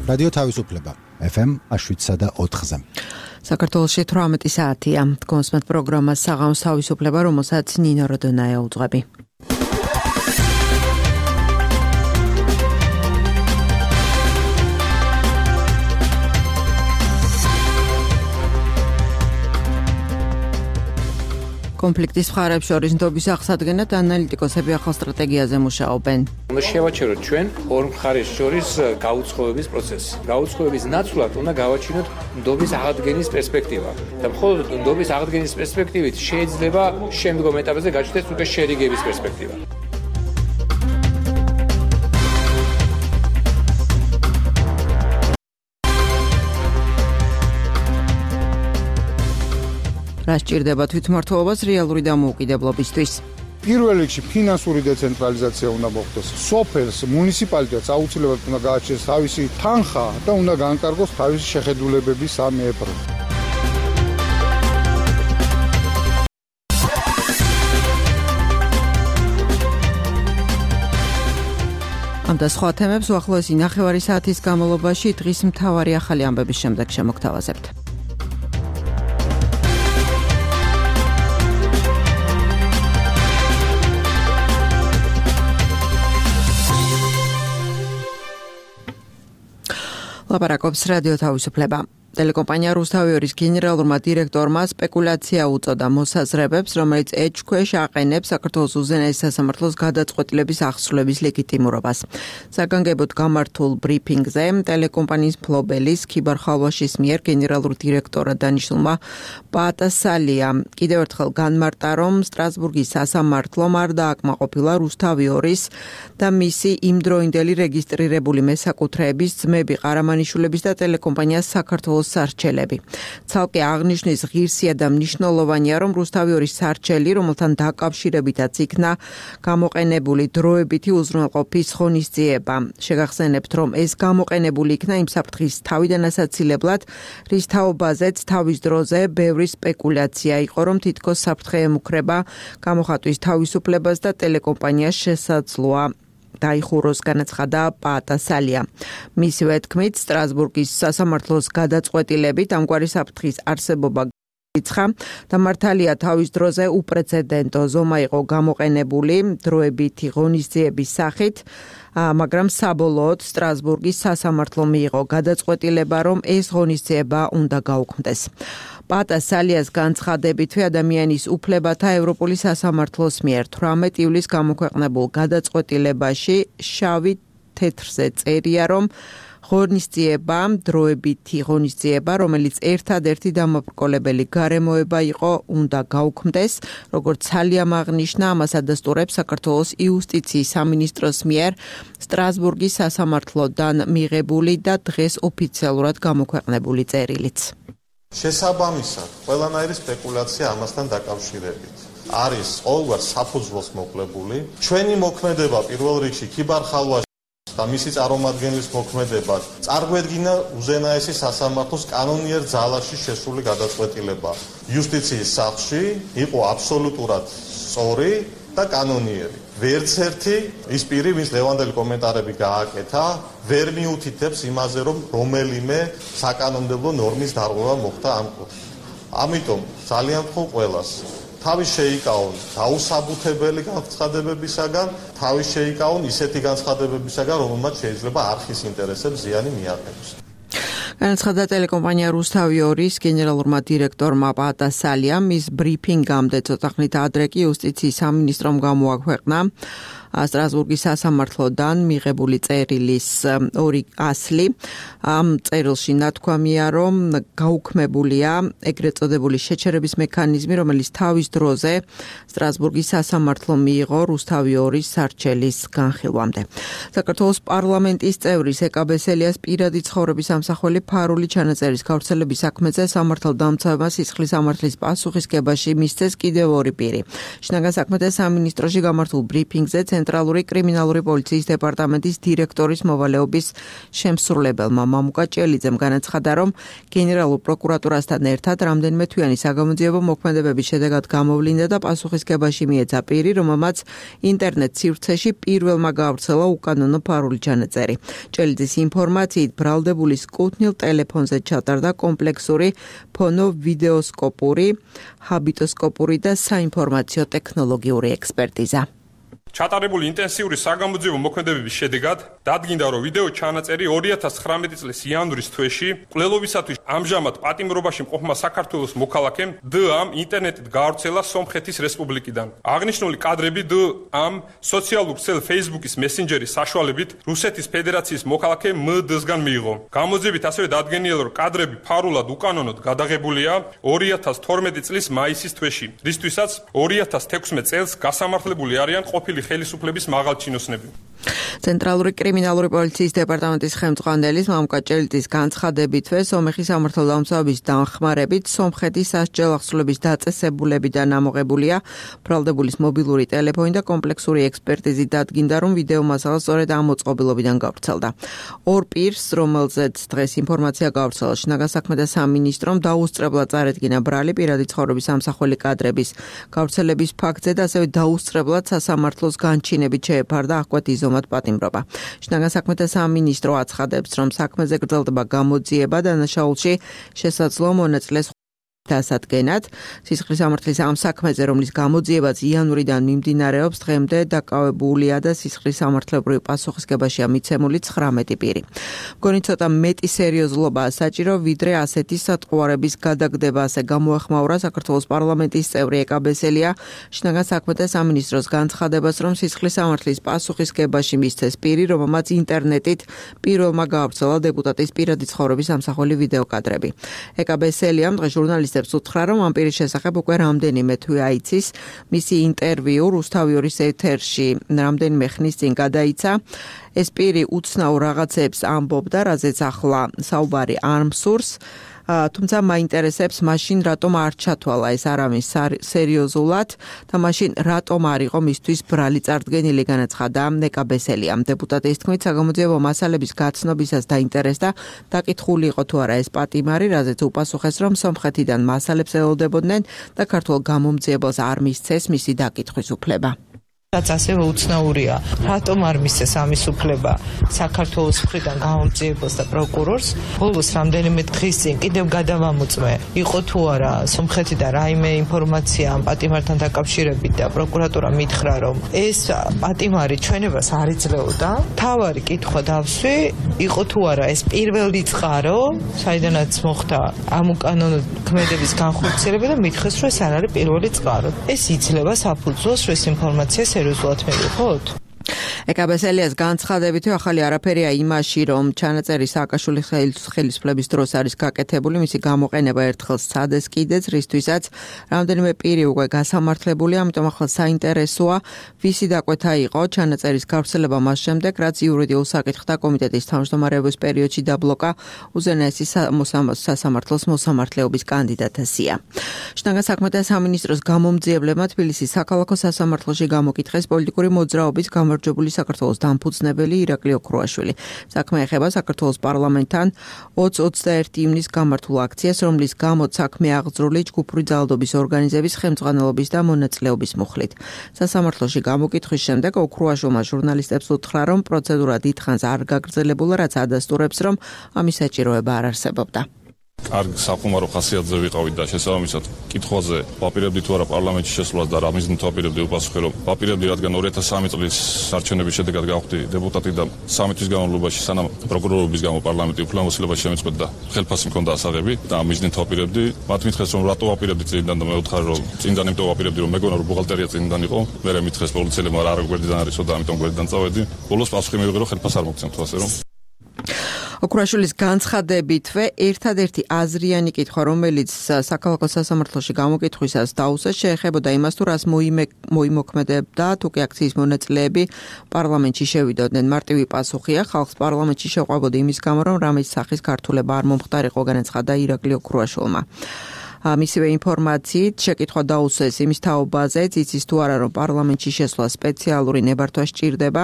რადიო თავისუფლება FM 7.4-ზე. საქართველოში 18 საათია. კონსმეთ პროგრამა საღამოს თავისუფლება, რომელსაც ნინო როდონაია უძღვები. კონფლიქტის მხარებს შორის ნდობის აღსადგენად ანალიტიკოსები ახალ სტრატეგიაზე მუშაობენ. უნდა შევაჩეროთ ჩვენ ორ მხარეს შორის გაუცხოების პროცესი. გაუცხოების ნაცვლად უნდა გავაჩინოთ ნდობის აღდგენის პერსპექტივა. და მხოლოდ ნდობის აღდგენის პერსპექტივით შეიძლება შემდგომ ეტაპზე გაჩნდეს უკვე შერიგების პერსპექტივა. რა სჭირდება თვითმმართველობას რეალური დამოუკიდებლობისთვის? პირველ რიგში ფინანსური დეცენტრალიზაცია უნდა მოხდეს. სოფელს, მუნიციპალიტეტს აუცილებლად უნდა გააჩნდეს თავისი თანხა და უნდა განკარგოს თავისი შეხედულებები 3%. ამ და სხვა თემებს უახლოესი ნახევარი საათის განმავლობაში დღის მთავარი ახალი ამბების შემდეგ შემოგთავაზებთ. ლაპარაკობს რადიო თავისუფლება. ტელეკომპანია რუსთავიორის გენერალურმა დირექტორმა სპეკულაცია უწოდა მოსაზრებებს, რომელიც ეჭქვეშ აყენებს საქართველოს უზენაეს სასამართლოს გადაწყვეტილების აღსრულების ლეგიტიმურობას. საგანგებოდ გამართულ ბრიფინგზე ტელეკომპანიის მფლობელის ქიბარ ხალვაშის მიერ გენერალურ დირექტორად დანიშნულმა პატასალია კიდევ ერთხელ განმარტა, რომ სტრასბურგის სასამართლომ არ დააკმაყოფილა რუსთავიორის და მისი იმდროინდელი რეგისტრირებული მესაკუთრეების ძმები ყარამანიშვილების და ტელეკომპანიას საქართველოს სარჩელები. ცალკე აღნიშნის ღირსია და მნიშვნელოვანია, რომ რუსთავიორის სარჩელი, რომელთან დაკავშირებითაც იქნა გამოყენებული დროებითი უზრუნველყოფის ღონისძიება. შეგახსენებთ, რომ ეს გამოყენებული იქნა იმ საფრთხის თავიდან ასაცილებლად, რის თაობაზეც თავის დროზე ბევრი სპეკულაცია იყო, რომ თითქოს საფრთხე ემუქრება გამოხატვის თავისუფლებას და ტელეკომპანიას შესაძლოა დაიხუროს, განაცხადა პატასალია. მისივე თქმით, სტრასბურგის სასამართლოს გადაწყვეტილებით ამგვარი საფრთხის არსებობა იცხა და მართალია თავის დროზე უპრეცედენტო ზომა იყო გამოყენებული დროებითი ღონისძიების სახით, მაგრამ საბოლოოდ სტრასბურგის სასამართლო მიიღო გადაწყვეტილება, რომ ეს ღონისძიება უნდა გაუქმდეს. პატასალიას განცხადებითვე ადამიანის უფლებათა ევროპული სასამართლოს მიერ 18 ივლისს გამოქვეყნებულ გადაწყვეტილებაში შავი თეთრზე წერია, რომ ღონისძიება, დროებითი ღონისძიება, რომელიც ერთადერთი დამაბრკოლებელი გარემოება იყო, უნდა გაუქმდეს, როგორც სალიამ აღნიშნა, ამას ადასტურებს საქართველოს იუსტიციის სამინისტროს მიერ სტრასბურგის სასამართლოდან მიღებული და დღეს ოფიციალურად გამოქვეყნებული წერილიც. შესაბამისად, ყველანაირი სპეკულაცია ამასთან დაკავშირებით არის ყოველგვარ საფუძვლოს მოკლებული. ჩვენი მოქმედება პირველ რიგში ქიბარ ხალვაშ და მისი წარმომადგენლის მოქმედება წარგვედგინა უზენაესი სასამართლოს კანონიერ ძალაში შესული გადაწყვეტილება. იუსტიციის სახლში იყო აბსოლუტურად სწორი და კანონიერი. ვერც ერთი ის პირი, ვინც ლევანდელი კომენტარები გააკეთა, ვერ მიუთითებს იმაზე, რომ რომელიმე საკანონმდებლო ნორმის დარღვევა მოხდა ამ კუთხით. ამიტომ ძალიან ვთხოვ ყველას თავის შეიკავონ დაუსაბუთებელი განცხადებებისაგან, თავის შეიკავონ ისეთი განცხადებებისაგან, რომელმაც შეიძლება არხის ინტერესებს ზიანი მიაყენოს. განაცხადა ტელეკომპანია რუსთავიორის გენერალურმა დირექტორმა პატასალიამ. მის ბრიფინგამდე ცოტა ხნით ადრე კი იუსტიციის სამინისტრომ გამოაქვეყნა სტრასბურგის სასამართლოდან მიღებული წერილის ორი ასლი. ამ წერილში ნათქვამია, რომ გაუქმებულია ეგრეთ წოდებული შეჩერების მექანიზმი, რომელიც თავის დროზე სტრასბურგის სასამართლო მიიღო რუსთავიორის სარჩელის განხილვამდე. საქართველოს პარლამენტის წევრი სეკა ბესელიას პირადი ცხოვრების ამსახველი ფარული ჩანაწერის გავრცელების საქმეზე სამართალდამცავმა სისხლის სამართლის პასუხისგებაში მისცეს კიდევ 2 პირი. შინაგან საქმეთა სამინისტროში გამართულ ბრიფინგზე ცენტრალური კრიმინალური პოლიციის დეპარტამენტის დირექტორის მოვალეობის შემსრულებელმა მამუკა ჭელიძემ განაცხადა, რომ გენერალურ პროკურატურასთან ერთად რამდენიმე თვიანი საგამოძიებო მოქმედებების შედეგად გამოვლინდა და პასუხისგებაში მიეცა პირი, რომელმაც ინტერნეტ სივრცეში პირველმა გაავრცელა უკანონო ფარული ჩანაწერი. ჭელიძის ინფორმაციით ბრალდებულის კუთვნილ ტელეფონზე ჩატარდა კომპლექსური ფონო-ვიდეოსკოპური, ჰაბიტოსკოპური და საინფორმაციო ტექნოლოგიური ექსპერტიზა. ჩატარებული ინტენსიური საგამოძიებო მოქმედებების შედეგად დადგინდა, რომ ვიდეო ჩანაწერი 2019 წლის იანვრის თვეში მკვლელობისათვის ამჟამად პატიმრობაში მყოფმა საქართველოს მოქალაქემ დ-ამ ინტერნეტით გაავრცელა სომხეთის რესპუბლიკიდან. აღნიშნული კადრები დ-ამ სოციალურ ქსელ Facebook-ის მესენჯერის საშუალებით რუსეთის ფედერაციის მოქალაქე მ-დ-სგან მიიღო. გამოძიებით ასევე დადგენილა, რომ კადრები ფარულად უკანონოდ გადაღებულია 2012 წლის მაისის თვეში, რისთვისაც 2016 წელს გასამართლებული არიან ყოფილი ხელისუფლების მაღალჩინოსნები. ცენტრალური კრიმინალური პოლიციის დეპარტამენტის ხელმძღვანელის მამუკა ჭელიძის განცხადებითვე სომეხის სამართალდამცავების დახმარებით სომხეთის სასჯელ ახსნილების დაწესებულებიდან ამოღებულია ბრალდებულის მობილური ტელეფონი და კომპლექსური ექსპერტიზით დადგინდა, რომ ვიდეო მასალა სწორედ ამ მოწყობილობიდან გავრცელდა. 2 პირს, რომელზეც დღეს ინფორმაცია გავრცელა შინაგან საქმეთა სამინისტრომ, დაუსწრებლად წარედგინა ბრალი პირადი ცხოვრების ამსახველი კადრების გავრცელების ფაქტზე და ასევე დაუსწრებლად სასამართლოს განჩინებით შეეფარდა აღკვეთ იზომად პატიმრობა. შინაგან საქმეთა სამინისტრო აცხადებს, რომ საქმეზე გრძელდება გამოძიება დანაშაულში შესაძლო მონაწილეს დასადგენად. სისხლის სამართლის ამ საქმეზე, რომლის გამოძიებაც იანვრიდან მიმდინარეობს, დღემდე დაკავებულია და სისხლის სამართლებრივ პასუხისგებაშია მიცემული 19 პირი. მგონი ცოტა მეტი სერიოზულობაა საჭირო, ვიდრე ასეთი სატყუარების გადაგდება, ასე გამოეხმაურა საქართველოს პარლამენტის წევრი ეკაბესელია შინაგან საქმეთა სამინისტროს განცხადებას, რომ სისხლის სამართლის პასუხისგებაში მისცეს პირი, რომელმაც ინტერნეტით პირველმა გაავრცელა დეპუტატის პირადი ცხოვრების ამსახველი ვიდეო კადრები. ეკაბესელიამ დღეს ჟურნალისტებს უთხრა, რომ ამ პირის შესახებ უკვე რამდენიმე თვე აიცის. მისი ინტერვიუ რუსთავიორის ეთერში რამდენიმე ხნის წინ გადაიცა. ეს პირი უცნაურ რაღაცებს ამბობდა, რაზეც ახლა საუბარი არ მსურს. თუმცა მაინტერესებს მაშინ რატომ არ ჩათვალა ეს არავის სერიოზულად და მაშინ რატომ არ იყო მისთვის ბრალი წარდგენილი, განაცხადა ეკაბესელიამ. დეპუტატის თქმით, საგამოძიებო მასალების გაცნობისას დაინტერესდა, დაკითხული იყო თუ არა ეს პატიმარი, რაზეც უპასუხეს, რომ სომხეთიდან მასალებს ელოდებოდნენ და ქართულ გამომძიებელს არ მისცეს მისი დაკითხვის უფლება. რაც ასევე უცნაურია, რატომ არ მისცეს ამის უფლება საქართველოს მხრიდან გამომძიებელს და პროკურორს. ბოლოს რამდენიმე დღის წინ კიდევ გადავამოწმე, იყო თუ არა სომხეთიდან რაიმე ინფორმაცია ამ პატიმართან დაკავშირებით და პროკურატურა მითხრა, რომ ეს პატიმარი ჩვენებას არ იძლეოდა. თავარი კითხვა დავსვი, იყო თუ არა ეს პირველი წყარო, საიდანაც მოხდა ამ უკანონო ქმედების განხორციელება და მითხრეს, რომ ეს არ არის პირველი წყარო. ეს იძლევა საფუძველს, რომ ეს ინფორმაცია სერიოზულად მივიღოთ. ეკაბესელიას განცხადებით, ახალი არაფერია იმაში, რომ ჩანაწერი სააკაშვილის ხელისუფლების დროს არის გაკეთებული, მისი გამოყენება ერთხელ სცადეს კიდეც, რისთვისაც რამდენიმე პირი უკვე გასამართლებულია, ამიტომ ახლა საინტერესოა, ვისი დაკვეთა იყო ჩანაწერის გავრცელება მას შემდეგ, რაც იურიდიულ საკითხთა კომიტეტის თავმჯდომარეობის პერიოდში დაბლოკა უზენაესი სასამართლოს მოსამართლეობის კანდიდატია. შინაგან საქმეთა სამინისტროს გამომძიებლებმა თბილისის საქალაქო სასამართლოში გამოკითხეს პოლიტიკური მოძრაობის გამარჯვებული საქართველოს დამფუძნებელი ირაკლი ოქროაშვილი. საქმე ეხება საქართველოს პარლამენტთან 20-21 ივნის გამართულ აქციას, რომლის გამოც საქმე აღძრული ჯგუფური ძალადობის ორგანიზების ხელმძღვანელობის და მონაწილეობის მუხლით. სასამართლოში გამოკითხვის შემდეგ ოქროაშვილმა ჟურნალისტებს უთხრა, რომ პროცედურა დიდხანს არ გაგრძელებულა, რაც ადასტურებს, რომ ამის საჭიროება არ არსებობდა. კარგ სახუმარო ხასიათზე ვიყავით და შესაბამისად კითხვაზე ვაპირებდი თუ არა პარლამენტში შესვლას და რა მიზნით ვაპირებდი უპასუხე, რომ ვაპირებდი, რადგან 2003 წლის არჩევნების შედეგად გავხდი დეპუტატი და 3 თვის განმავლობაში სანამ პროკურორობის გამო პარლამენტი უფლებამოსილებას შემეწყვეტ და ხელფასი მქონდა ასაღები და ამ მიზნით ვაპირებდი. მათ მითხრეს, რომ რატო ვაპირებდი წინიდან და მე ვთხარ, რომ წინიდან იმიტომ ვაპირებდი, რომ მეგონა რომ ბუღალტერია წინიდან იყო. მერე მითხრეს პოლიციელებმა რა გვერდიდან არისო და ამიტომ გვერდიდან წავედი. ბოლოს პასუხი მივიღე, რომ ხელფასი არ მოგცემთ, ასე რომ ოქროაშვილის განცხადებითვე ერთადერთი აზრიანი კითხვა, რომელიც საქალაქო სასამართლოში გამოკითხვისას დაუსვეს, შეეხებოდა იმას, თუ რას მოიმოქმედებდა თუკი აქციის მონაწილეები პარლამენტში შევიდოდნენ. მარტივი პასუხია, ხალხს პარლამენტში შეყვებოდა იმის გამო, რომ რამის სახის ქართულება არ მომხდარიყო, განაცხადა ირაკლი ოქროაშვილმა. მისივე ინფორმაციით შეკითხვა დაუსვეს იმის თაობაზეც, იცის თუ არა, რომ პარლამენტში შესვლა სპეციალური ნებართვა სჭირდება.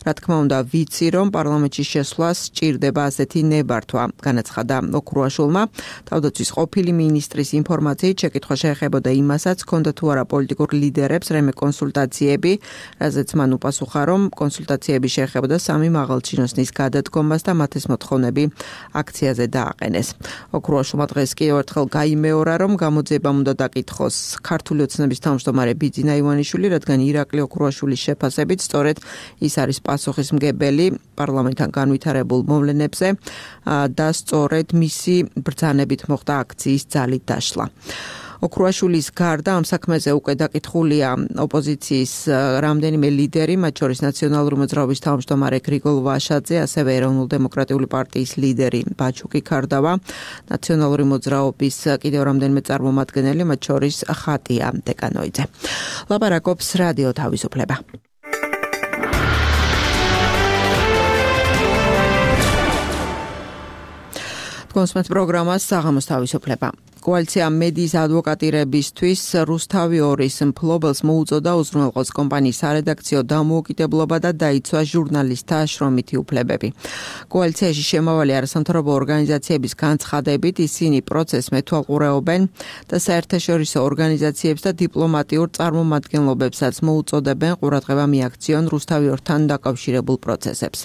რა თქმა უნდა, ვიცი, რომ პარლამენტში შესვლას სჭირდება ასეთი ნებართვა, განაცხადა ოქროაშვილმა. თავდაცვის ყოფილი მინისტრის ინფორმაციით შეკითხვა შეეხებოდა იმასაც, ჰქონდა თუ არა პოლიტიკურ ლიდერებს რემე კონსულტაციები, რაზეც მან უპასუხა, რომ კონსულტაციები შეეხებოდა სამი მაღალჩინოსნის გადადგომას და მათეს მოთხოვნები აქციაზე დააყენეს. ოქროაშვილმა დღეს კიდევ ერთხელ გაიმეორა, რომ გამოძიებამ უნდა დაკითხოს ქართული ოცნების თავმჯდომარე ბიძინა ივანიშვილი, რადგან ირაკლი ოქროაშვილის შეფასებით სწორედ ის არის პასუხისმგებელი პარლამენტთან განვითარებულ მოვლენებზე და სწორედ მისი ბრძანებით მოხდა აქციის ძალით დაშლა. ოქროაშვილის გარდა ამ საქმეზე უკვე დაკითხულია ოპოზიციის რამდენიმე ლიდერი, მათ შორის ნაციონალური მოძრაობის თავმჯდომარე გრიგოლ ვაშაძე, ასევე ეროვნულ-დემოკრატიული პარტიის ლიდერი ბაჩუკი ქარდავა, ნაციონალური მოძრაობის კიდევ რამდენიმე წარმომადგენელი, მათ შორის ხატია დეკანოიძე. ლაპარაკობს რადიო თავისუფლება. კონსმეთ პროგრამას საღამოს თავისუფლება. კოალიცია მედიის ადვოკატირებისთვის რუსთავი 2-ის მფლობელს მოუწოდა უზრუნველყოს კომპანიის სარედაქციო დამოუკიდებლობა და დაიცვა ჟურნალისტთა შრომითი უფლებები. კოალიციაში შემავალი არასამთავრობო ორგანიზაციების განცხადებით ისინი პროცესს მეთვალყურეობენ და საერთაშორისო ორგანიზაციებს და დიპლომატიურ წარმომადგენლობებსაც მოუწოდებენ ყურადღება მიაქციონ რუსთავი 2-თან დაკავშირებულ პროცესებს.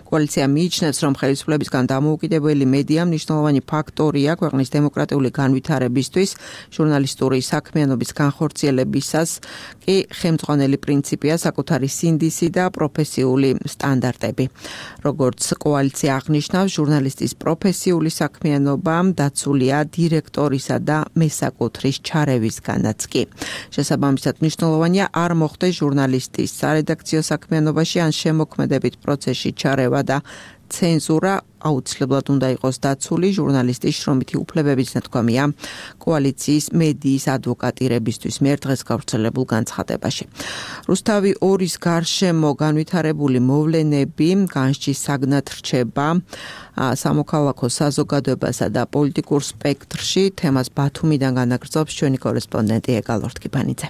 კოალიცია მიიჩნევს, რომ ხელისუფლებისგან დამოუკიდებელი მედია მნიშვნელოვანი ფაქტორია ქვეყნის დემოკრატიული განვითარებისთვის, ჟურნალისტური საქმიანობის განხორციელებისას კი ხელმძღვანელი პრინციპია საკუთარი სინდისი და პროფესიული სტანდარტები. როგორც კოალიცია აღნიშნავს, ჟურნალისტის პროფესიული საქმიანობა დაცულია დირექტორისა და მესაკუთრის ჩარევისგანაც კი. შესაბამისად, მნიშვნელოვანია არ მოხდეს ჟურნალისტის სარედაქციო საქმიანობაში ან შემოქმედებით პროცესში ჩარევა და ცენზურა აუცილებლად უნდა იყოს დაცული ჟურნალისტის შრომითი უფლებების ნათქვამია კოალიციის მედიის ადვოკატირებისთვის მიერ დღეს გავრცელებულ განცხადებაში. რუსთავი 2-ის გარშემო განვითარებული მოვლენები განსჯის საგნად რჩება სამოქალაქო საზოგადოებასა და პოლიტიკურ სპექტრში. თემას ბათუმიდან განაგრძობს ჩვენი კორესპონდენტი ეგალ ორთქიფანიძე.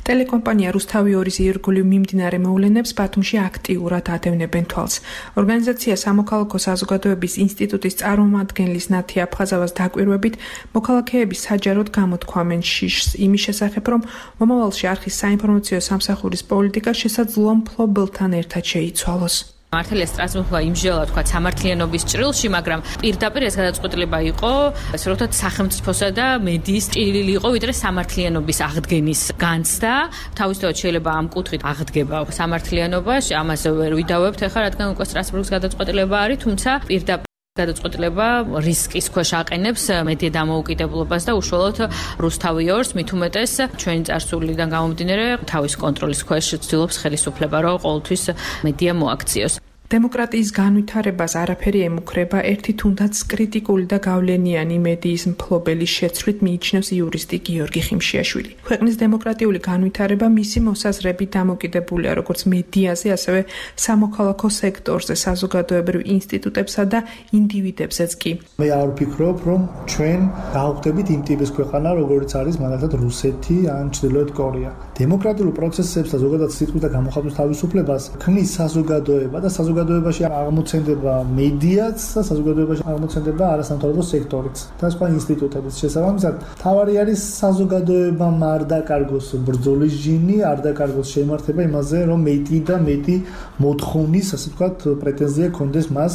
ტელეკომპანია რუსთავი 2-ის ირგვლივ მიმდინარე მოვლენებს ბათუმში აქტიურად ადევნებენ თვალს. ორგანიზაცია სამოქალაქო საზოგადოების ინსტიტუტის წარმომადგენლის ნათი აფხაზავას დაკვირვებით, მოქალაქეები საჯაროდ გამოთქვამენ შიშს იმის შესახებ, რომ მომავალში არხის საინფორმაციო სამსახურის პოლიტიკა შესაძლოა მფლობელთან ერთად შეიცვალოს. მართალია სტრასბურგმა იმჟელა თქვა სამართლიანობის ჭრილში, მაგრამ პირდაპირ ეს გადაწყვეტილება იყო, ასე რომ ვთქვათ, სახელმწიფოსა და მედიის ჭრილი იყო, ვიდრე სამართლიანობის აღდგენის განცდა. თავისთავად შეიძლება ამ კუთხით აღდგება სამართლიანობაში, ამაზე ვერ ვიდავებთ ახლა, რადგან უკვე სტრასბურგის გადაწყვეტილება არის, თუმცა პირდაპირ გადაწყვეტილება რისკის ქვეშ აყენებს მედია დამოუკიდებლობას და უშუალოდ რუსთავი 2-ს, მით უმეტეს ჩვენი წარსულიდან გამომდინარე თავის კონტროლის ქვეშ ცდილობს ხელისუფლება, რომ ყოველთვის მედია მოაქციოს. დემოკრატიის განვითარებას არაფერი ემუქრება, ერთი თუნდაც კრიტიკული და გავლენიანი მედიის მფლობელის შეცვლით მიიჩნევს იურისტი გიორგი ხიმშიაშვილი. ქვეყნის დემოკრატიული განვითარება მისი მოსაზრებით დამოკიდებულია როგორც მედიაზე, ასევე სამოქალაქო სექტორზე, საზოგადოებრივ ინსტიტუტებსა და ინდივიდებზეც კი. მე არ ვფიქრობ, რომ ჩვენ გავხდებით იმ ტიპის ქვეყანა, როგორც არის მაგალითად რუსეთი ან ჩრდილოეთ კორეა. დემოკრატიულ პროცესებს და ზოგადად სიტყვის და გამოხატვის თავისუფლებას ქმნის საზოგადოება და საზოგადოებაში აღმოცენდება მედიაც და საზოგადოებაში აღმოცენდება არასამთავრობო სექტორიც და სხვა ინსტიტუტებიც. შესაბამისად, თავარი არის საზოგადოებამ არ დაკარგოს ბრძოლის ჟინი, არ დაკარგოს შემართება იმაზე, რომ მეტი და მეტი მოთხოვნის, ასე ვთქვათ, პრეტენზია ქონდეს მას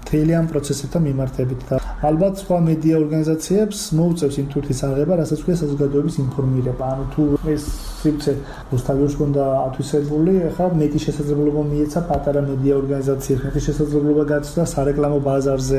მთელი ამ პროცესებთან მიმართებით და ალბათ სხვა მედია ორგანიზაციებს მოუწევს იმ თურთის აღება, რასაც ქვია საზოგადოების ინფორმირება. ანუ თუ ეს სივრცე რუსთავის უნდა ათვისებული, ახლა მეტი შესაძლებლობა მიეცა პატარა მედია ორგანიზაციებს, მეტი შესაძლებლობა გაცდა სარეკლამო ბაზარზე.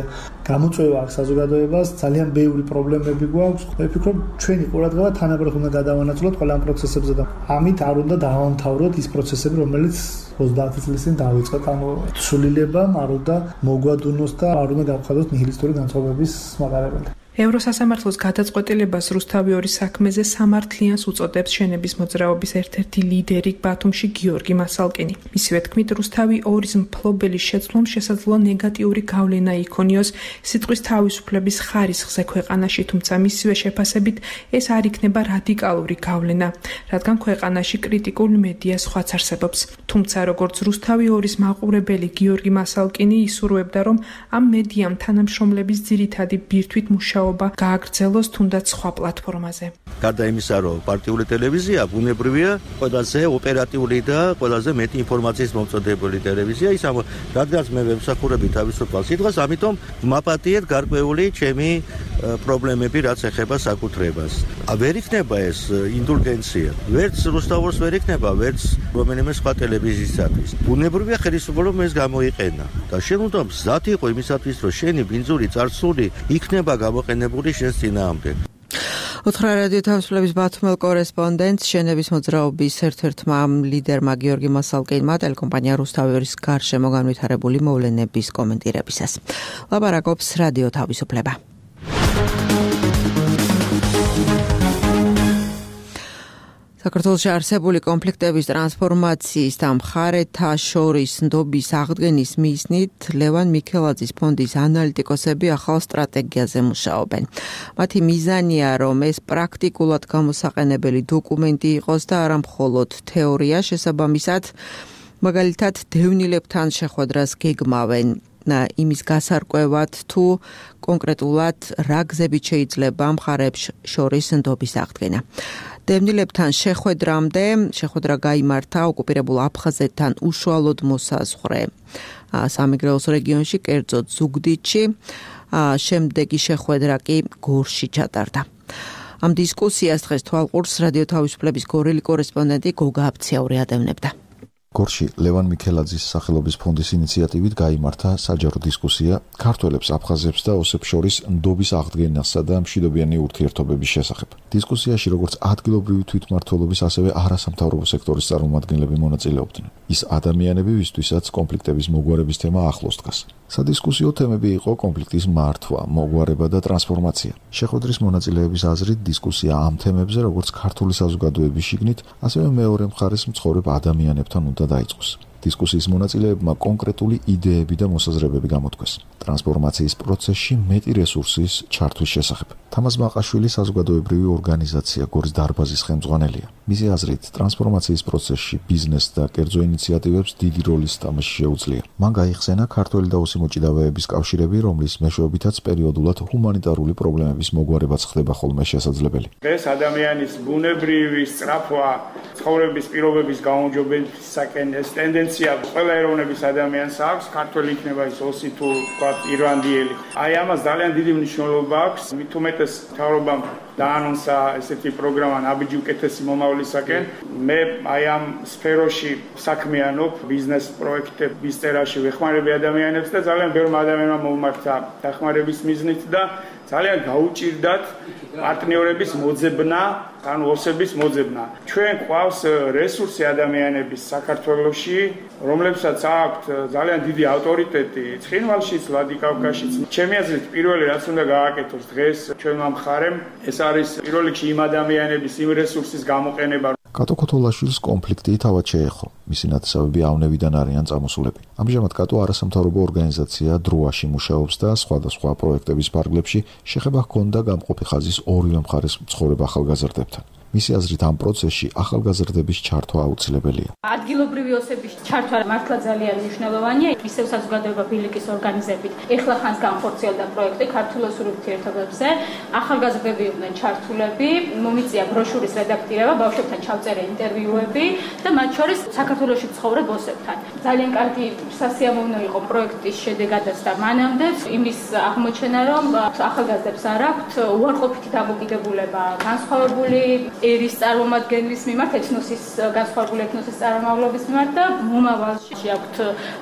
გამოწვევა აქვს საზოგადოებას, ძალიან ბევრი პრობლემები გვაქვს. მე ვფიქრობ, ჩვენი ყურადღება თანაბრად უნდა გადავანაწილოთ ყველა ამ პროცესებზე და ამით არ უნდა დავამთავროთ ის პროცესები, რომელიც 30 წლის წინ დაიწყეთ, ანუ სულილება მაროდა მოგვადუნოს და არ უნდა გავხადოთ ნიჰილისტური განწყობების მატარებელი. ევროსასამართლოს გადაწყვეტილებას რუსთავი ორის საქმეზე სამართლიანს უწოდებს შენების მოძრაობის ერთ-ერთი ლიდერი ბათუმში გიორგი მასალკინი. მისივე თქმით, რუსთავი ორის მფლობელის შეცვლამ შესაძლოა ნეგატიური გავლენა იქონიოს სიტყვის თავისუფლების ხარისხზე ქვეყანაში, თუმცა მისივე შეფასებით ეს არ იქნება რადიკალური გავლენა, რადგან ქვეყანაში კრიტიკულ მედია სხვაც არსებობს. თუმცა როგორც რუსთავი ორის მაყურებელი გიორგი მასალკინი ისურვებდა, რომ ამ მედიამ თანამშრომლების ძირითადი ბირთვით მუშაობა გააგრძელოს თუნდაც სხვა პლატფორმაზე. გარდა იმისა, რომ პარტიული ტელევიზია ბუნებრივია ყველაზე ოპერატიული და ყველაზე მეტი ინფორმაციის მომწოდებელი ტელევიზია, რადგან მე ვემსახურები თავისუფალ სიტყვას, ამიტომ მაპატიეთ გარკვეული ჩემი პრობლემები, რაც ეხება საკუთრებას. ვერ იქნება ეს ინდულგენცია, ვერც რუსთავოს ვერ იქნება, ვერც რომელიმე სხვა ტელევიზიისათვის. ბუნებრივია ხელისუფლება ეს გამოიყენა და შენ უნდა მზად იყო იმისათვის, რომ შენი ბინძური წარსული იქნება გამოყენებული შენს წინააღმდეგ. ოთხრა რადიო თავისუფლების ბათუმელ კორესპონდენტს შენების მოძრაობის ერთ-ერთმა ლიდერმა გიორგი მასალკინმა ტელეკომპანია რუსთავი ორის გარშემო განვითარებული მოვლენების კომენტირებისას ლაპარაკობს რადიო თავისუფლება. საქართველოში არსებული კონფლიქტების ტრანსფორმაციის და მხარეთა შორის ნდობის აღდგენის მიზნით ლევან მიქელაძის ფონდის ანალიტიკოსები ახალ სტრატეგიაზე მუშაობენ. მათი მიზანია, რომ ეს პრაქტიკულად გამოსაყენებელი დოკუმენტი იყოს და არა მხოლოდ თეორია, შესაბამისად, მაგალითად, დევნილებთან შეხვედრას გეგმავენ. იმის გასარკვევად თუ კონკრეტულად რა გზებით შეიძლება მხარეებს შორის ნდობის აღდგენა. დევნილებთან შეხვედრა გაიმართა ოკუპირებულ აფხაზეთთან უშუალოდ მოსაზღვრე სამეგრელოს რეგიონში, კერძოდ ზუგდიდში, შემდეგი შეხვედრა კი გორში ჩატარდა. ამ დისკუსიას დღეს თვალყურს რადიო თავისუფლების გორელი კორესპონდენტი გოგა აბციაური ადევნებდა. გორში ლევან მიქელაძის სახელობის ფონდის ინიციატივით გაიმართა საჯარო დისკუსია ქართველებს, აფხაზებს და ოსებს შორის ნდობის აღდგენასა და მშვიდობიანი ურთიერთობების შესახებ. დისკუსიაში როგორც ადგილობრივი თვითმმართველობის, ასევე არასამთავრობო სექტორის წარმომადგენლები მონაწილეობდნენ. ის ადამიანები, ვისთვისაც კონფლიქტების მოგვარების თემა ახლოს დგას. სადისკუსიო თემები იყო კონფლიქტის მართვა, მოგვარება და ტრანსფორმაცია. შეხვედრის მონაწილეების აზრით დისკუსია ამ თემებზე, როგორც ქართული საზოგადოების შიგნით, ასევე მეორე მხარეს მცხოვრებ ადამიანებთან უნდა დაიწყოს. დისკუსიის მონაწილეებმა კონკრეტული იდეები და მოსაზრებები გამოთქვეს. ტრანსფორმაციის პროცესში მეტი რესურსის ჩართვის შესახებ. თამაზ მაყაშვილი საზოგადოებრივი ორგანიზაცია გორის დარბაზის ხელმძღვანელია. მისი აზრით, ტრანსფორმაციის პროცესში ბიზნეს და კერძო ინიციატივებს დიდი როლის თამაში შეუძლია. მან გაიხსენა ქართველი და ოსი მოჭიდავეების კავშირები, რომლის მეშვეობითაც პერიოდულად ჰუმანიტარული პრობლემების მოგვარებაც ხდება ხოლმე შესაძლებელი. ეს ადამიანის ბუნებრივი სწრაფვა ცხოვრების პირობების გაუმჯობესებისაკენ ეს ტენდენცია ყველა ეროვნების ადამიანს აქვს, ქართველი იქნება ის ოსი თუ ირლანდიელი. აი ამას ძალიან დიდი მნიშვნელობა აქვს, მით უმეტეს მთავრობამ დაანონსა ესეთი პროგრამა ნაბიჯი უკეთესი მომავლისაკენ. მე აი ამ სფეროში საქმიანობ, ბიზნეს პროექტების წერაში ვეხმარები ადამიანებს და ძალიან ბევრმა ადამიანმა მომმართა დახმარების მიზნით და ძალიან გაუჭირდათ პარტნიორების მოძებნა, ანუ ოსების მოძებნა. ჩვენ ყავს რესურსი ადამიანების საქართველოში, რომლებსაც აქვთ ძალიან დიდი ავტორიტეტი ცხინვალშიც, ვლადიკავკაზშიც. ჩემი აზრით, პირველი რაც უნდა გააკეთოს დღეს ჩვენმა მხარემ, ეს არის პირველ რიგში იმ ადამიანების, იმ რესურსის გამოყენება. კატო ქოთოლაშვილის კონფლიქტი თავად შეეხო. მისი ნათესავები ავნევიდან არიან წამოსულები. ამჟამად კატო არასამთავრობო ორგანიზაცია დროაში მუშაობს და სხვადასხვა პროექტების ფარგლებში შეხება ჰქონდა გამყოფი ხაზის ორივე მხარეს მცხოვრებ ახალგაზრდებთან. მისი აზრით, ამ პროცესში ახალგაზრდების ჩართვა აუცილებელია. ადგილობრივი ოსების ჩართვა მართლა ძალიან მნიშვნელოვანია. ისევ საზოგადოება ბილიკის ორგანიზებით ეხლა ხანს განხორციელდა პროექტი ქართულ-ოსურ ურთიერთობებზე. ახალგაზრდები იყვნენ ჩართულები, მომიწია ბროშურის რედაქტირება, ბავშვებთან ჩავწერე ინტერვიუები და მათ შორის საქართველოში მცხოვრებ ოსებთან. ძალიან კარგი სასიამოვნო იყო პროექტის შედეგადაც და მანამდეც იმის აღმოჩენა, რომ ახალგაზრდებს არ აქვთ უარყოფითი დამოკიდებულება განსხვავებული ერის წარმომადგენლის მიმართ, განსხვავებული ეთნოსის წარმომავლობის მიმართ და მომავალში აქვთ,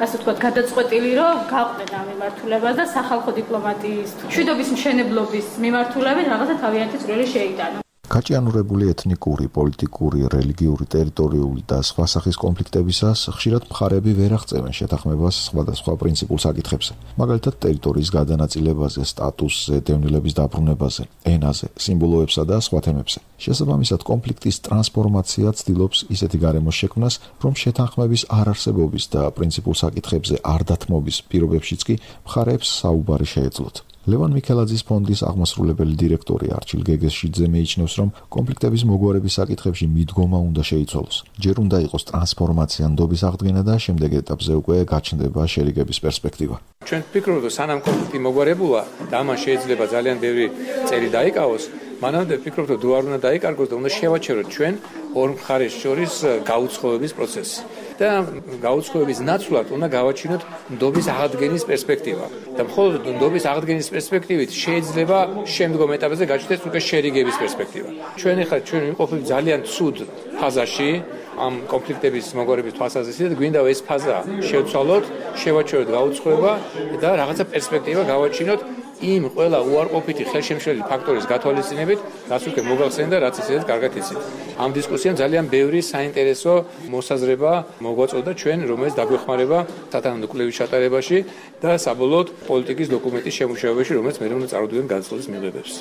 ასე ვთქვათ, გადაწყვეტილი, რომ გაყვნენ ამ მიმართულებას და სახალხო დიპლომატიის, მშვიდობის მშენებლობის მიმართულებით რაღაცა თავიანთი წვლილი შეიტანონ. გაჭიანურებული ეთნიკური, პოლიტიკური, რელიგიური, ტერიტორიული და სხვა სახის კონფლიქტებისას ხშირად მხარეები ვერ აღწევენ შეთანხმებას სხვადასხვა პრინციპულ საკითხებზე. მაგალითად, ტერიტორიის გადანაწილებაზე, სტატუსზე, დევნილების დაბრუნებაზე, ენაზე, სიმბოლოებსა და სხვა თემებზე. შესაბამისად, კონფლიქტის ტრანსფორმაცია ცდილობს ისეთი გარემოს შექმნას, რომ შეთანხმების არარსებობის და პრინციპულ საკითხებზე არ დათმობის პირობებშიც კი მხარეებს საუბარი შეეძლოთ. ლევან მიქელაძის ფონდის აღმასრულებელი დირექტორი არჩილ გეგესშიძე მიიჩნევს, რომ კონფლიქტების მოგვარების საკითხებში მიდგომა უნდა შეიცვალოს. ჯერ უნდა იყოს ტრანსფორმაცია ნდობის აღდგენა და შემდეგ ეტაპზე უკვე გაჩნდება შერიგების პერსპექტივა. ჩვენ ვფიქრობთ, რომ სანამ კონფლიქტი მოგვარებულა და ამან შეიძლება ძალიან ბევრი წელი დაიკავოს, მანამდე ვფიქრობთ, რომ დუარ უნდა დაიკარგოს და უნდა შევაჩეროთ ჩვენ ორ მხარეს შორის გაუცხოების პროცესი. და გაუცხოების ნაცვლად უნდა გავაჩინოთ ნდობის აღდგენის პერსპექტივა. და მხოლოდ ნდობის აღდგენის პერსპექტივით შეიძლება შემდგომ ეტაპზე გაჩნდეს უკვე შერიგების პერსპექტივა. ჩვენ ვიმყოფებით ძალიან ცუდ ფაზაში ამ კონფლიქტების მოგვარების თვალსაზრისით და გვინდა ეს ფაზა შევცვალოთ, შევაჩეროთ გაუცხოება და რაღაცა პერსპექტივა გავაჩინოთ იმ ყველა უარყოფითი ხელშემშლელი ფაქტორის გათვალისწინებით, რაც უკვე მოგახსენდა და რაც ისედაც კარგად იცით. ამ დისკუსიამ ძალიან ბევრი საინტერესო მოსაზრება მოგვაწოდა ჩვენ, რომელიც დაგვეხმარება სათანადო კვლევის ჩატარებაში და საბოლოოდ პოლიტიკის დოკუმენტის შემუშავებაში, რომელიც მე უნდა წარუდგენ განცხადის მიღებებს.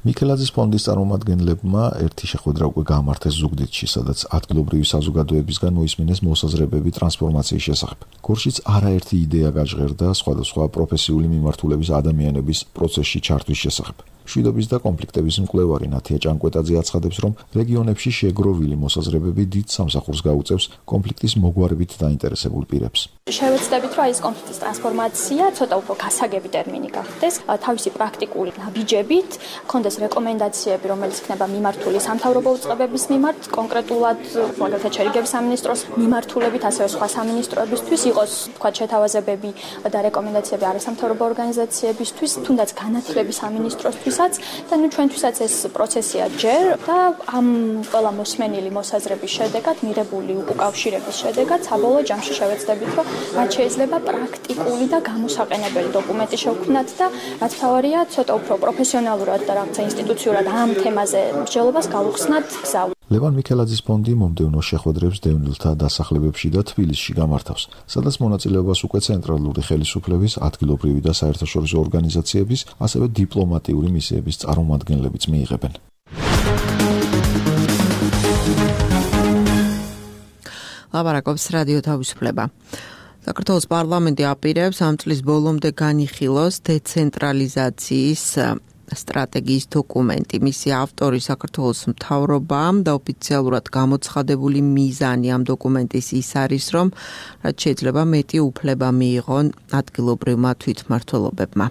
მიქელაძის ფონდის წარმომადგენლებმა ერთი შეხვედრა უკვე გამართეს ზუგდიდში, სადაც ადგილობრივი საზოგადოებისგან მოისმინეს მოსაზრებები ტრანსფორმაციის შესახებ. გორშიც არაერთი იდეა გაჟღერდა სხვადასხვა პროფესიული მიმართულების ადამიანების პროცესში ჩართვის შესახებ. მშვიდობის და კონფლიქტების მკვლევარი ნათია ჭანკვეტაძე აცხადებს, რომ რეგიონებში შეგროვილი მოსაზრებები დიდ სამსახურს გაუწევს კონფლიქტის მოგვარებით დაინტერესებულ პირებს. შევეცდებით, რომ ეს კონფლიქტის ტრანსფორმაცია ცოტა უფრო გასაგები ტერმინი გახდეს, თავისი პრაქტიკული ნაბიჯებით, კონდეს რეკომენდაციები, რომელიც იქნება მიმართული სამთავრობო უწყებების მიმართ, კონკრეტულად მაგალითად შერიგების სამინისტროს მიმართულებით, ასევე სხვა სამინისტროებისთვის იყოს, თქვა, შეთავაზებები და რეკომენდაციები არასამთავრობო ორგანიზაციებისთვის, თუნდაც განათლების სამინისტროსთვის და ჩვენთვისაც ეს პროცესია ჯერ და ამ ყველა მოსმენილი მოსაზრების შედეგად, მიღებული უკავშირების შედეგად, საბოლოო ჯამში შევეცდებით, რომ რაც შეიძლება პრაქტიკული და გამოსაყენებელი დოკუმენტი შევქმნათ და რაც თავარია, ცოტა უფრო პროფესიონალურად და რაღაცა ინსტიტუციურად ამ თემაზე მსჯელობას გავუხსნათ გზა. ლევან მიქელაძის ფონდი მომდევნო შეხვედრებს დევნილთა დასახლებებში და თბილისში გამართავს, სადაც მონაწილეობას უკვე ცენტრალური ხელისუფლების, ადგილობრივი და საერთაშორისო ორგანიზაციების, ასევე დიპლომატიური მისიების წარმომადგენლებიც მიიღებენ. ლაპარაკობს რადიო თავისუფლება. საქართველოს პარლამენტი აპირებს ამ წლის ბოლომდე განიხილოს დეცენტრალიზაციის სტრატეგიის დოკუმენტი. მისი ავტორი საქართველოს მთავრობამ და ოფიციალურად გამოცხადებული მიზანი ამ დოკუმენტის ის არის, რომ რაც შეიძლება მეტი უფლება მიიღონ ადგილობრივმა თვითმმართველობებმა.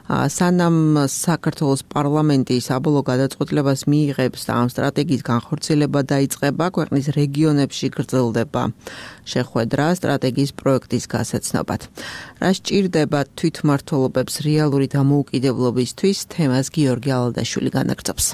სანამ საქართველოს პარლამენტი საბოლოო გადაწყვეტილებას მიიღებს და ამ სტრატეგიის განხორციელება დაიწყება, ქვეყნის რეგიონებში გრძელდება შეხვედრა სტრატეგიის პროექტის გასაცნობად. რა სჭირდება თვითმმართველობებს რეალური დამოუკიდებლობისთვის, თემას გიორგი ალადაშვილი განაგრძობს.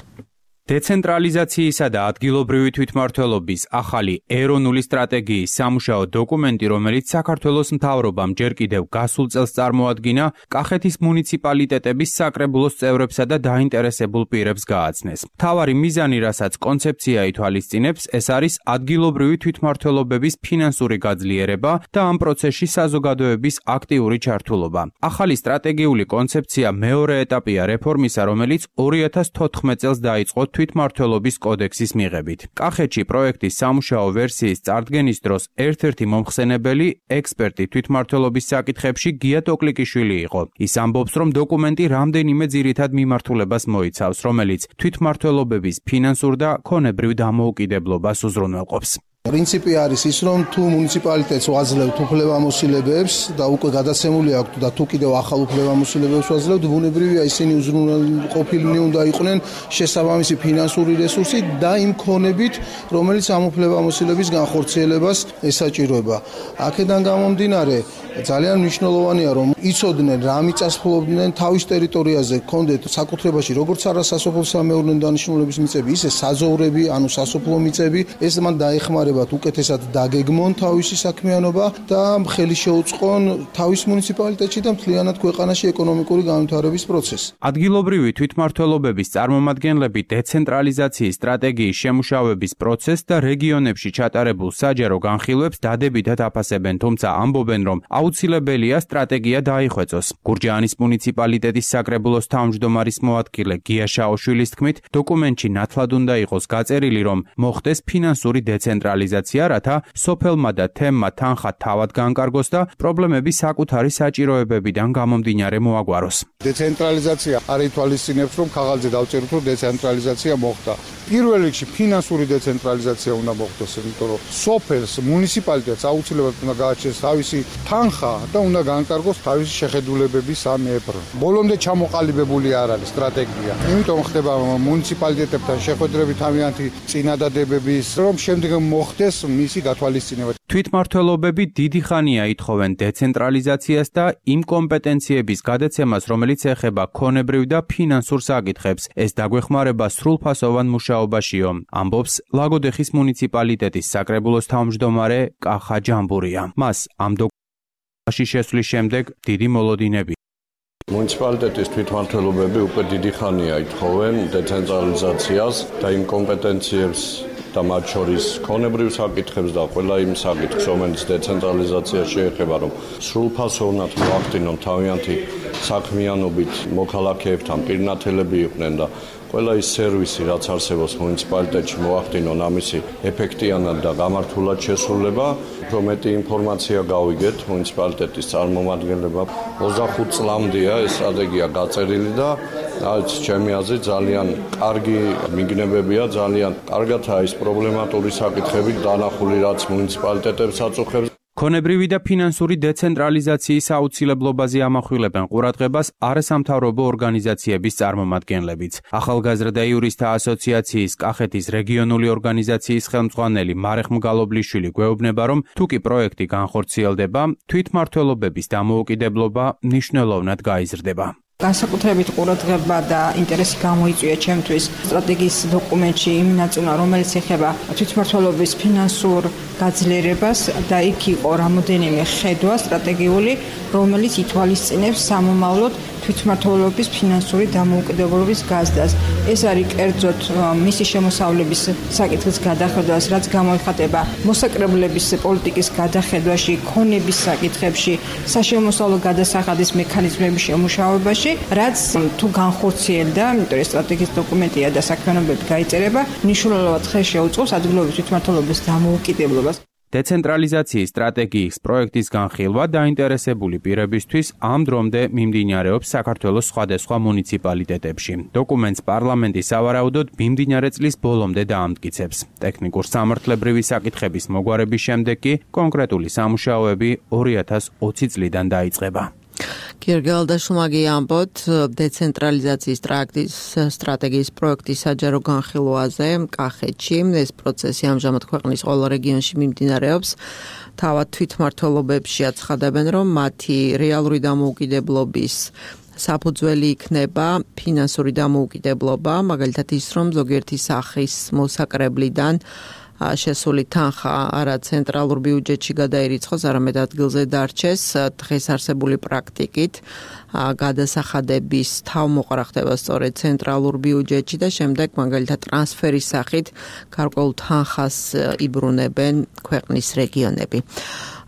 დეცენტრალიზაციისა და ადგილობრივი თვითმმართველობის ახალი ეროვნული სტრატეგიის სამუშაო დოკუმენტი, რომელიც საქართველოს მთავრობამ ჯერ კიდევ გასულ წელს წარმოადგინა, კახეთის მუნიციპალიტეტების საკრებულოს წევრებსა და დაინტერესებულ პირებს გააცნეს. მთავარი მიზანი, რასაც კონცეფცია ითვალისწინებს, ეს არის ადგილობრივი თვითმმართველობების ფინანსური გაძლიერება და ამ პროცესში საზოგადოების აქტიური ჩართულობა. ახალი სტრატეგიული კონცეფცია მეორე ეტაპია რეფორმისა, რომელიც 2014 წელს დაიწყო თვითმმართველობის კოდექსის მიღებით. კახეთში პროექტის სამუშაო ვერსიის წარდგენის დროს ერთ-ერთი მომხსენებელი ექსპერტი თვითმმართველობის საკითხებში გია ტოკლიკიშვილი იყო. ის ამბობს, რომ დოკუმენტი რამდენიმე ძირითად მიმართულებას მოიცავს, რომელიც თვითმმართველობების ფინანსურ და ქონებრივ დამოუკიდებლობას უზრუნველყოფს. პრინციპი არის ის, რომ თუ მუნიციპალიტეტს ვაძლევთ უფლებამოსილებებს და უკვე გადაცემული აქვთ და თუ კიდევ ახალ უფლებამოსილებებს ვაძლევთ, ბუნებრივია ისინი უზრუნველყოფილნი უნდა იყვნენ შესაბამისი ფინანსური რესურსი და იმ ქონებით, რომელიც ამ უფლებამოსილების განხორციელებას ესაჭიროება. აქედან გამომდინარე, ძალიან მნიშვნელოვანია, რომ იცოდნენ რა მიწასფლობდნენ თავის ტერიტორიაზე, კონდეთ საკუთრებაში როგორც არასასოფლო-სამეურნეო დანიშნულების მიწები, ისე საძოვრები, ანუ სასოფლო მიწები, ეს მან დაეხმარება ეხმარებათ უკეთესად დაგეგმონ თავისი საქმიანობა და ხელი შეუწყონ თავის მუნიციპალიტეტში და მთლიანად ქვეყანაში ეკონომიკური განვითარების პროცესი. ადგილობრივი თვითმმართველობების წარმომადგენლები დეცენტრალიზაციის სტრატეგიის შემუშავების პროცესს და რეგიონებში ჩატარებულ საჯარო განხილვებს დადებითად აფასებენ, თუმცა ამბობენ, რომ აუცილებელია სტრატეგია დაიხვეწოს. გურჯაანის მუნიციპალიტეტის საკრებულოს თავმჯდომარის მოადგილე გია შაოშვილის თქმით, დოკუმენტში ნათლად უნდა იყოს გაწერილი, რომ მოხდეს ფინანსური დეცენტრალიზაცია, რათა სოფელმა და თემმა თანხა თავად განკარგოს და პრობლემები საკუთარი საჭიროებებიდან გამომდინარე მოაგვაროს. დეცენტრალიზაცია არ ითვალისწინებს, რომ ქაღალდზე დავწეროთ, რომ დეცენტრალიზაცია მოხდა. პირველ რიგში ფინანსური დეცენტრალიზაცია უნდა მოხდეს, იმიტომ რომ სოფელს, მუნიციპალიტეტს აუცილებლად უნდა გააჩენს თავისი თანხა და უნდა განკარგოს თავისი შეხედულებების სამეებრო. ბოლომდე ჩამოყალიბებული არ არის სტრატეგია. იმიტომ ხდება მუნიციპალიტეტებთან შეხვედრებით თავიანთი წინადადებების, რომ შემდეგ მოხდეს მისი გათვალისწინება. თვითმმართველობები დიდი ხანია ითხოვენ დეცენტრალიზაციას და იმ კომპეტენციების გადაცემას, რომელიც ეხება ქონებრივ და ფინანსურ საკითხებს. ეს დაგვეხმარება სრულფასოვან მუშაობაშიო, ამბობს ლაგოდეხის მუნიციპალიტეტის საკრებულოს თავმჯდომარე კახა ჯამბურია. მას ამ დოკუმენტში შესვლის შემდეგ დიდი მოლოდინები. მუნიციპალიტეტის თვითმმართველობები უკვე დიდი ხანია ითხოვენ დეცენტრალიზაციას და იმ კომპეტენციებს და მათ შორის ქონებრივ საკითხებს და ყველა იმ საკითხს, რომელიც დეცენტრალიზაცია შეეხება, რომ სრულფასოვნად მოახდინონ თავიანთი საქმიანობით მოქალაქეებთან პირნათელები იყვნენ და ყველა ის სერვისი, რაც არსებობს მუნიციპალიტეტში, მოახდინონ ამისი ეფექტიანად და გამართულად შესრულება. უფრო მეტი ინფორმაცია გავიგეთ მუნიციპალიტეტის წარმომადგენლებმა. 25 წლამდეა ეს სტრატეგია გაწერილი და რაც ჩემი აზრით ძალიან კარგი მიგნებებია, ძალიან კარგადაა ის პრობლემატური საკითხები დანახული, რაც მუნიციპალიტეტებს აწუხებს. ქონებრივი და ფინანსური დეცენტრალიზაციის აუცილებლობაზე ამახვილებენ ყურადღებას არასამთავრობო ორგანიზაციების წარმომადგენლებიც. ახალგაზრდა იურისტთა ასოციაციის კახეთის რეგიონული ორგანიზაციის ხელმძღვანელი მარეხ მგალობლიშვილი გვეუბნება, რომ თუ კი პროექტი განხორციელდება, თვითმმართველობების დამოუკიდებლობა მნიშვნელოვნად გაიზრდება. განსაკუთრებით ყურადღება და ინტერესი გამოიწვია ჩემთვის სტრატეგიის დოკუმენტში იმ ნაწილმა, რომელიც ეხება თვითმმართველობის ფინანსურ გაძლიერებას და იქ იყო რამოდენიმე ხედვა სტრატეგიული, რომელიც ითვალისწინებს სამომავლოდ თვითმმართველობის ფინანსური დამოუკიდებლობის გაზრდას. ეს არის კერძოდ მისი შემოსავლების საკითხის გადახედვას, რაც გამოიხატება მოსაკრებლების პოლიტიკის გადახედვაში, ქონების საკითხებში, საშემოსავლო გადასახადის მექანიზმების შემუშავებაში, რაც თუ განხორციელდა, იმიტომ რომ სტრატეგიის დოკუმენტია და საქმიანობები გაიწერება, მნიშვნელოვნად ხელს შეუწყობს ადგილობრივი თვითმმართველობის დამოუკიდებლობას. დეცენტრალიზაციის სტრატეგიის პროექტის განხილვა დაინტერესებული პირებისთვის ამ დრომდე მიმდინარეობს საქართველოს სხვადასხვა მუნიციპალიტეტებში. დოკუმენტს პარლამენტი სავარაუდოდ მიმდინარე წლის ბოლომდე დაამტკიცებს. ტექნიკურ სამართლებრივი საკითხების მოგვარების შემდეგ კი კონკრეტული სამუშაოები 2020 წლიდან დაიწყება. გერგალდაშუმაგი ამბობთ დეცენტრალიზაციის სტრატეგიის პროექტის საჯარო განხილვაზე კახეთში. ეს პროცესი ამჟამად ქვეყნის ყველა რეგიონში მიმდინარეობს. თავად თვითმმართველობებში აცხადებენ, რომ მათი რეალური დამოუკიდებლობის საფუძველი იქნება ფინანსური დამოუკიდებლობა, მაგალითად ის, რომ ზოგიერთი სახის მოსაკრებლიდან შესული თანხა არა ცენტრალურ ბიუჯეტში გადაირიცხოს, არამედ ადგილზე დარჩეს. დღეს არსებული პრაქტიკით გადასახადების თავმოყრა ხდება სწორედ ცენტრალურ ბიუჯეტში და შემდეგ მაგალითად ტრანსფერის სახით გარკვეულ თანხას იბრუნებენ ქვეყნის რეგიონები.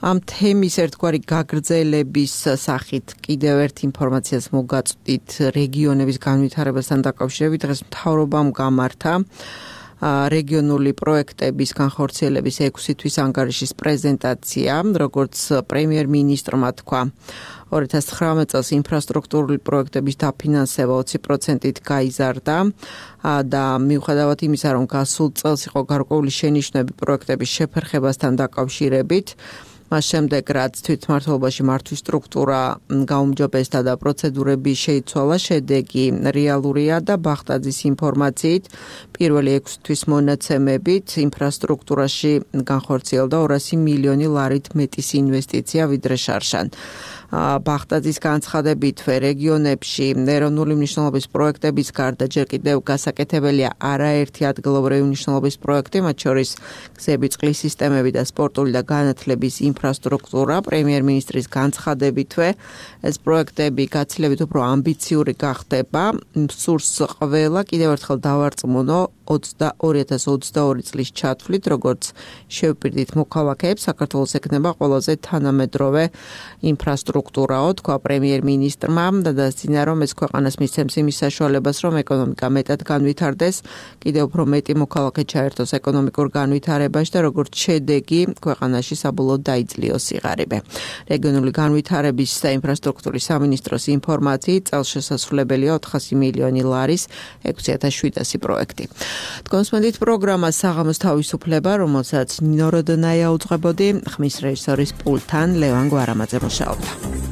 ამ თემის ერთგვარი გაგრძელების სახით კიდევ ერთ ინფორმაციას მოგაწვდით რეგიონების განვითარებასთან დაკავშირებით. დღეს მთავრობამ გამართა რეგიონული პროექტების განხორციელების 6 თვის ანგარიშის პრეზენტაცია, როგორც პრემიერ-მინისტრმა თქვა, 2019 წელს ინფრასტრუქტურული პროექტების დაფინანსება 20%-ით გაიზარდა და მიუხედავად იმისა, რომ გასულ წელს იყო გარკვეული შენიშვნები პროექტების შეფერხებასთან დაკავშირებით, მას შემდეგ რაც თვითმმართველობაში მართვის სტრუქტურა გაუმჯობესდა და პროცედურები შეიცვალა, შედეგი რეალურია და ბახტაძის ინფორმაციით პირველი 6 თვის მონაცემებით ინფრასტრუქტურაში განხორციელდა 200 მილიონი ლარით მეტის ინვესტიცია ვიდრე შარშან. ბახტაძის განცხადებით რეგიონებში ეროვნული მნიშვნელობის პროექტების გარდა ჯერ კიდევ გასაკეთებელია არაერთი ადგილობრივი მნიშვნელობის პროექტი, მათ შორის გზები, წყლის სისტემები და სპორტული და განათლების ინფრასტრუქტურა. პრემიერ-მინისტრის განცხადებითვე ეს პროექტები გაცილებით უფრო ამბიციური გახდება. სურს ყველა კიდევ ერთხელ დავარწმუნო 2022 წლის ჩათვლით, როგორც შევპირდით მოქალაქეებს, საქართველოს ექნება ყველაზე თანამედროვე ინფრასტრუქტურაო, თქვა პრემიერ-მინისტრმა და დასძინა, რომ ეს ქვეყანას მისცემს იმის საშუალებას, რომ ეკონომიკა მეტად განვითარდეს, კიდევ უფრო მეტი მოქალაქე ჩაერთოს ეკონომიკურ განვითარებაში და როგორც შედეგი ქვეყანაში საბოლოოდ დაიძლიოს სიღარიბე. რეგიონული განვითარების და ინფრასტრუქტურის სამინისტროს ინფორმაციით წელს შესაძლებელია 400 მილიონი ლარის 6700 პროექტი. თქვენსმენდით პროგრამა საღამოს თავისუფლება, რომელსაც ნინო როდონაია უძღვებოდი, ხმის რეჟისორის პულტთან ლევან გვარამაძე მუშაობდა.